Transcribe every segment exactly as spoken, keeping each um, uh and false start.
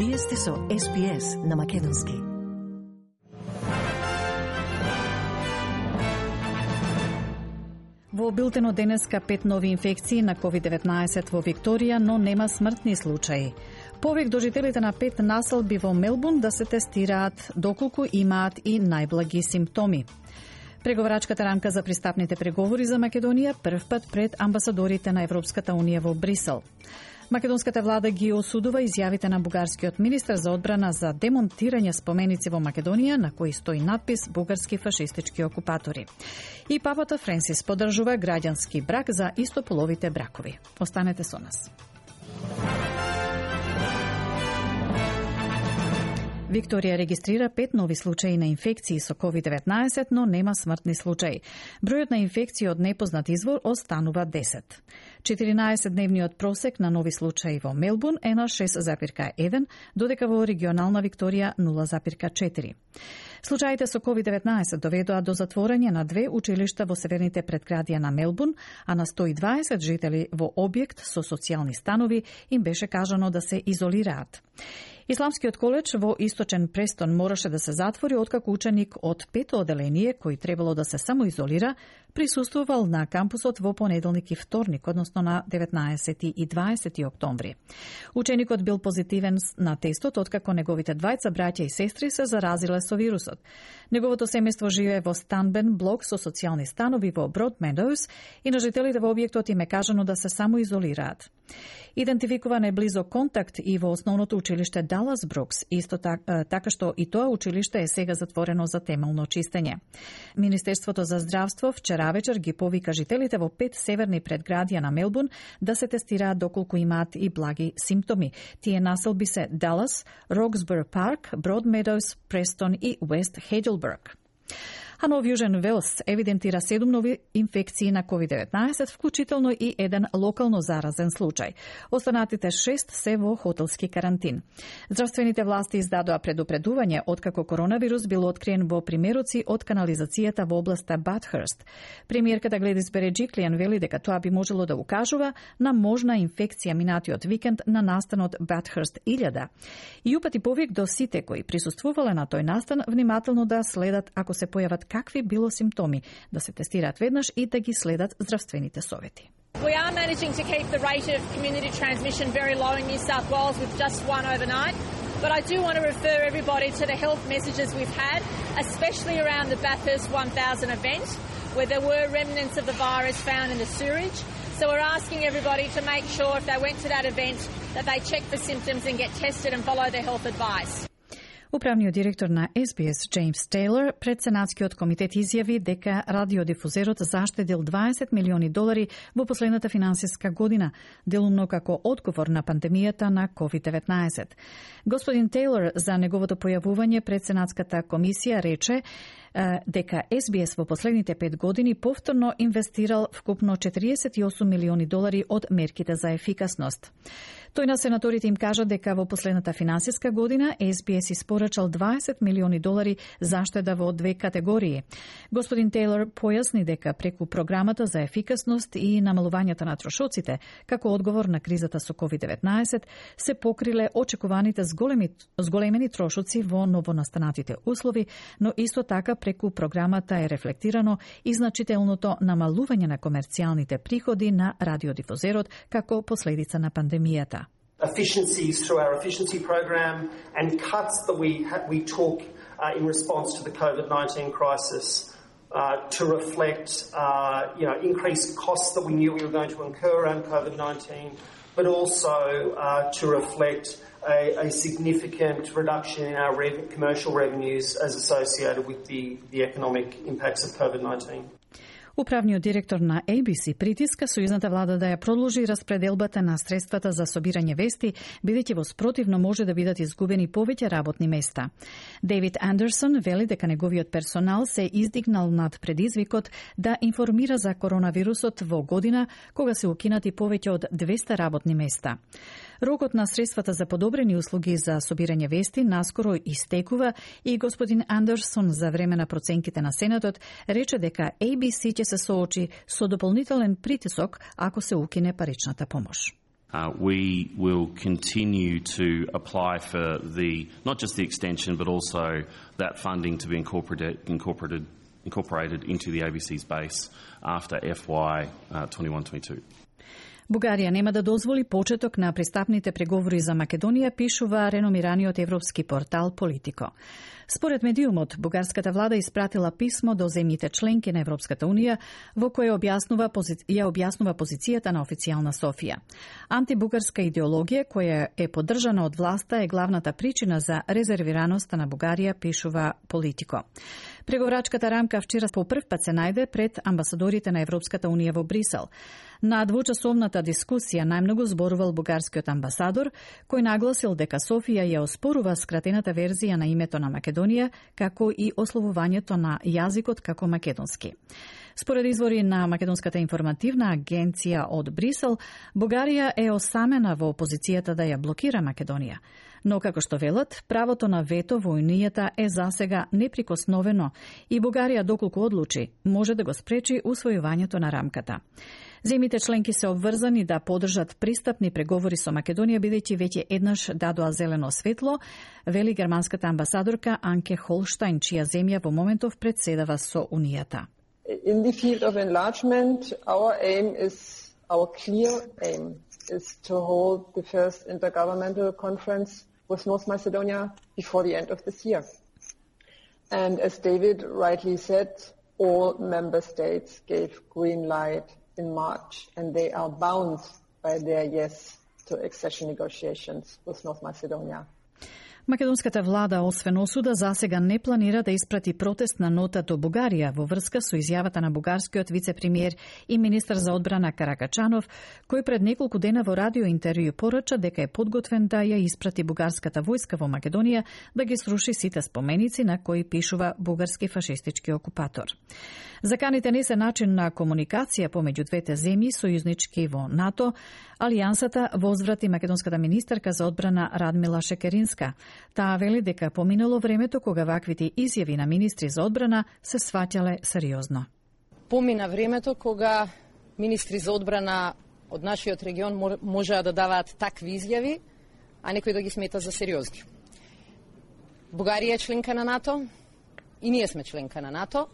Вие сте со Ес Би Ес на Македонски. Во билтенот денеска пет нови инфекции на ковид деветнаесет во Викторија, но нема смртни случаи. Повик до жителите на пет населби во Мелбурн да се тестираат доколку имаат и најблаги симптоми. Преговарачката рамка за пристапните преговори за Македонија првпат пред амбасадорите на Европската унија во Брисел. Македонската влада ги осудува изјавите на бугарскиот министар за одбрана за демонтирање споменици во Македонија на кои стои надпис бугарски фашистички окупатори. И папата Френсис поддржува граѓански брак за истополовите бракови. Останете со нас. Викторија регистрира пет нови случаи на инфекции со ковид деветнаесет, но нема смртни случаи. Бројот на инфекции од непознат извор останува десет. четиринаесетдневниот просек на нови случаи во Мелбурн е на шест запирка еден, додека во регионална Викторија нула запирка четири. Случаите со ковид деветнаесет доведоа до затворање на две училишта во северните предградија на Мелбурн, а на сто и дваесет жители во објект со социјални станови им беше кажано да се изолираат. Исламскиот коледж во источен Престон мораше да се затвори откако ученик од пето оделение, кој требало да се самоизолира, присуствувал на кампусот во понеделник и вторник, односно на деветнаесети и дваесети октомври. Ученикот бил позитивен на тестот откако неговите двајца браќа и сестри се заразиле со вирусот. Неговото семејство живее во станбен блок со социјални станови во Broad Meadows и на жителите во објектот им е кажано да се самоизолираат. Идентификуван е близок контакт и во основното училиште Далас Брукс, исто така, така што и тоа училиште е сега затворено за темелно чистење. Министерството за здравство вчера вечер ги повика жителите во пет северни предградија на Мелбурн да се тестираат доколку имаат и благи симптоми. Тие населби се Далас, Роксбур Парк, Broad Meadows, Престон и Уест Хејджилберг. А Нов Јужен Велс евидентира седум нови инфекции на ковид деветнаесет, вклучително и еден локално заразен случај. Останатите шест се во хотелски карантин. Здравствените власти издадоа предупредување откако коронавирус бил откриен во примероци од канализацијата во областа Батхерст. Премиерката Гледис Береджиклијан вели дека тоа би можело да укажува на можна инфекција минатиот викенд на настанот Батхерст илјада. И упати повик до сите кои присуствувале на тој настан внимателно да следат ако се појават какви било симптоми, да се тестираат веднаш и да ги следат здравствените совети. We are managing to keep the rate of community transmission very low in New South Wales with just one overnight, but I do want to refer everybody to the health messages we've had, especially around the Bathurst one thousand event, where there were remnants of the virus found in the sewage. So we're asking everybody to make sure if they went to that event that they check for symptoms and get tested and follow the health advice. Управниот директор на Ес Би Ес Джеймс Тейлор пред Сенатскиот комитет изјави дека радиодифузерот заштедил дваесет милиони долари во последната финансиска година, делумно како одговор на пандемијата на ковид деветнаесет. Господин Тейлор за неговото појавување пред Сенатската комисија рече дека Ес Би Ес во последните пет години повторно инвестирал вкупно четириесет и осум милиони долари од мерките за ефикасност. Тој на сенаторите им кажа дека во последната финансиска година Ес Би Ес испорачал дваесет милиони долари заштеда во две категории. Господин Тейлор појасни дека преку програмата за ефикасност и намалувањето на трошоците, како одговор на кризата со ковид деветнаесет, се покриле очекуваните зголеми, зголемени трошоци во новонастанатите услови, но исто така преку програмата е рефлектирано и значителното намалување на комерцијалните приходи на радиодифузерот како последица на пандемијата. Efficiencies through our efficiency program and cuts that we ha- we took uh, in response to the COVID nineteen crisis uh, to reflect uh, you know increased costs that we knew we were going to incur around COVID nineteen, but also uh, to reflect a, a significant reduction in our rev- commercial revenues as associated with the, the economic impacts of COVID nineteen. Управниот директор на Ей Би Си притиска сојузната влада да ја продолжи распределбата на средствата за собирање вести, бидејќи во спротивно може да бидат изгубени повеќе работни места. Дейвид Андерсон вели дека неговиот персонал се издигнал над предизвикот да информира за коронавирусот во година кога се укинати повеќе од двесте работни места. Рокот на средствата за подобрени услуги за собирање вести наскоро истекува и господин Андерсон за време на проценките на Сенатот рече дека Ей Би Си ќе се соочи со дополнителен притисок ако се укине паричната помош. Uh, we will continue to apply for the not just the extension but also that funding to be incorporated incorporated incorporated into the A B C's base after F Y twenty-one twenty-two. Бугарија нема да дозволи почеток на пристапните преговори за Македонија, пишува реномираниот европски портал Политико. Според медиумот, бугарската влада испратила писмо до земјите членки на Европската унија во кое објаснува пози... ја објаснува позицијата на официјална Софија. Антибугарска идеологија која е поддржана од власта е главната причина за резервираноста на Бугарија, пишува Политико. Преговорачката рамка вчера по прв пат се најде пред амбасадорите на Европската унија во Брисел. На двучасовната дискусија најмногу зборувал бугарскиот амбасадор, кој нагласил дека Софија ја оспорува скратената верзија на името на Македонија, како и ословувањето на јазикот како македонски. Според извори на Македонската информативна агенција од Брисел, Бугарија е осамена во опозицијата да ја блокира Македонија. Но, како што велат, правото на вето во Унијата е засега неприкосновено и Бугарија, доколку одлучи, може да го спречи усвојувањето на рамката. Земјите членки се обврзани да поддржат пристапни преговори со Македонија, бидејќи веќе еднаш дадоа зелено светло, вели германската амбасадорка Анке Холштајн, чија земја во моментов председава со Унијата. In the field of enlargement, our aim is, our clear aim is to hold the first intergovernmental conference with North Macedonia before the end of this year. And as David rightly said, all member states gave green light in March, and they are bound by their yes to accession negotiations with North Macedonia. Македонската влада, освен осуда, засега не планира да испрати протестна нота до Бугарија во врска со изјавата на бугарскиот вице-премиер и министар за одбрана Каракачанов, кој пред неколку дена во радио интервју порача дека е подготвен да ја испрати бугарската војска во Македонија да ги сруши сите споменици на кои пишува бугарски фашистички окупатор. Заканите не се начин на комуникација помеѓу двете земји сојузнички во НАТО. Алијансата возврати македонската министерка за одбрана Радмила Шекеринска. Таа вели дека поминало времето кога ваквите изјави на министри за одбрана се сваќале сериозно. Помина времето кога министри за одбрана од нашиот регион можеа да даваат такви изјави, а некој да ги смета за сериозни. Бугарија е членка на НАТО и ние сме членка на НАТО.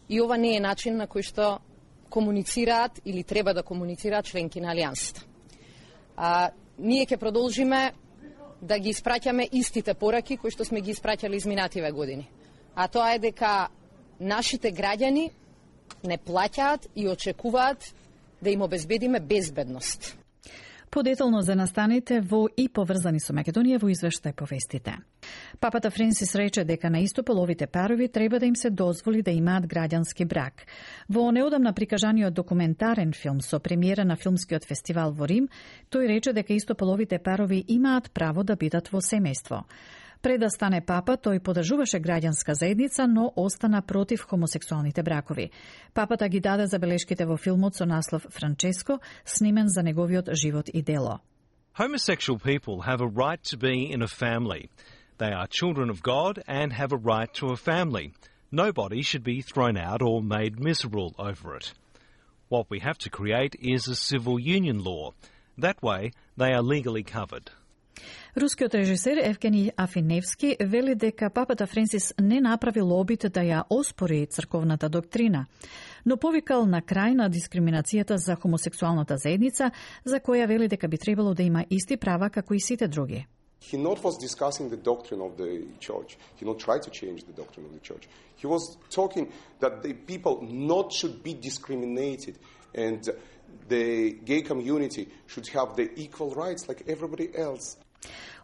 И ова не е начин на кој што комуницираат или треба да комуницираат членки на Алијансата. А, ние ќе продолжиме да ги испраќаме истите пораки кои што сме ги испраќали изминативе години. А тоа е дека нашите граѓани не плаќаат и очекуваат да им обезбедиме безбедност. Подетално за настаните во и поврзани со Македонија во извештај по вестите. Папата Френсис рече дека на истополовите парови треба да им се дозволи да имаат граѓански брак. Во неодамна прикажаниот документарен филм со премиера на филмскиот фестивал во Рим, тој рече дека истополовите парови имаат право да бидат во семејство. Пред да стане папа, тој поддржуваше граѓанска заедница, но остана против хомосексуалните бракови. Папата ги даде забелешките во филмот со наслов Франческо, снимен за неговиот живот и дело. Homosexual people have a right to be in a family. They are children of God and have a right to a family. Nobody should be thrown out or made miserable over it. What we have to create is a civil union law. That way, they are legally covered. Рускиот режисер Евгени Афиневски вели дека папата Френсис не направил обид да ја оспори црковната доктрина, но повикал на крај на дискриминацијата за хомосексуалната заедница, за која вели дека би требало да има исти права како и сите други. He not was discussing the doctrine of the church. He not tried to change the doctrine of the church. He was talking that the people not should be discriminated and the gay community should have the equal rights like everybody else.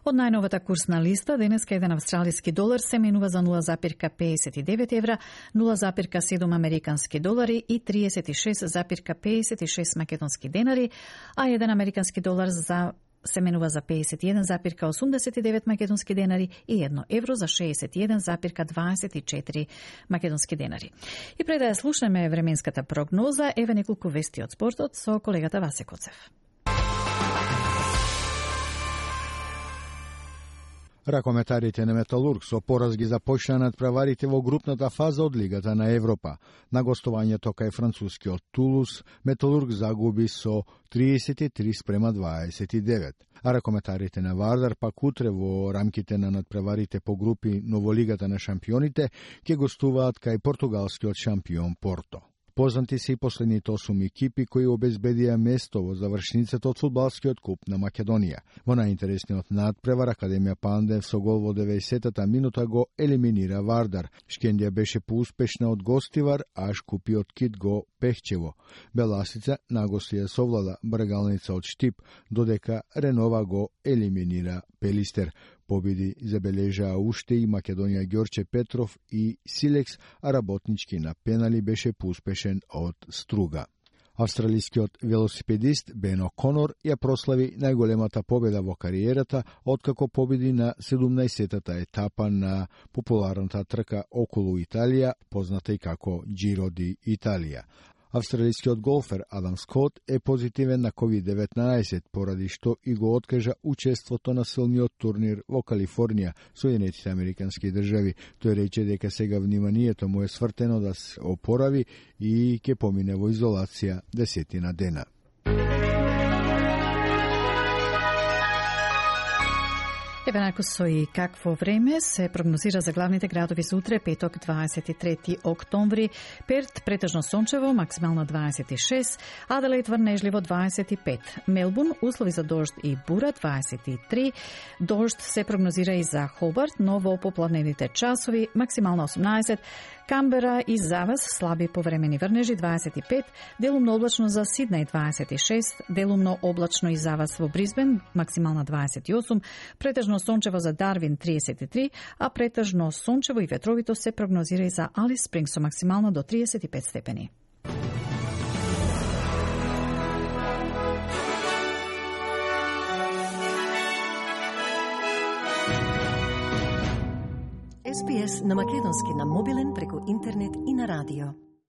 Од најновата курсна листа, денеска еден австралиски долар се менува за нула запирка педесет и девет евра, нула запирка седум американски долари и триесет и шест запирка педесет и шест македонски денари, а еден американски долар за се менува за педесет и еден запирка осумдесет и девет македонски денари и едно евро за шеесет и еден запирка дваесет и четири македонски денари. И пред да ја слушнеме временската прогноза, еве неколку вести од спортот со колегата Васе Коцев. Ракометарите на Металург со пораз ги започнаа надпреварите во групната фаза од Лигата на Европа. На гостувањето кај францускиот Тулус, Металург загуби со триесет и три спрема дваесет и девет. А ракометарите на Вардар пак утре во рамките на надпреварите по групи но во Лигата на шампионите ќе гостуваат кај португалскиот шампион Порто. Познати се и последните осум екипи кои обезбедија место во завршницата од фудбалскиот куп на Македонија. Во најинтересниот надпревар Академија Пандев со гол во деветдесетата минута го елиминира Вардар. Шкендија беше поуспешна од гостивар, а Шкупиот Кит го Пехчево. Беласица нагости ја совлада Бргалница од Штип, додека Ренова го елиминира Пелистер. Победи забележаа уште и Македонија Ѓорче Петров и Силекс, а работнички на пенали беше поуспешен од Струга. Австралискиот велосипедист Бен О'Конор ја прослави најголемата победа во кариерата откако победи на седумнаесеттата етапа на популарната трка околу Италија, позната и како Giro di Italia. Австралискиот голфер Адам Скот е позитивен на ковид деветнаесет, поради што и го откажа учеството на силниот турнир во Калифорнија, Соединетите Американски држави. Тој рече дека сега вниманието му е свртено да се опорави и ќе помине во изолација десетина дена. Еве најако со и какво време се прогнозира за главните градови за утре, петок, дваесет и трети октомври. Перт претежно сончево, максимално дваесет и шест, Аделаид врнежливо дваесет и пет, Мелбурн услови за дожд и бура дваесет и три, дожд се прогнозира и за Хобарт, но во попладневните часови максимално осумнаесет, Камбера и завас слаби повремени врнежи дваесет и пет, делумно облачно за Сиднеј дваесет и шест, делумно облачно и завас во Брисбен максимална дваесет и осум, претежно сончево за Дарвин триесет и три, а претежно сончево и ветровито се прогнозира и за Алис Спрингс со максимално до триесет и пет степени. Ес Би Ес на македонски на мобилен преку интернет и на радио.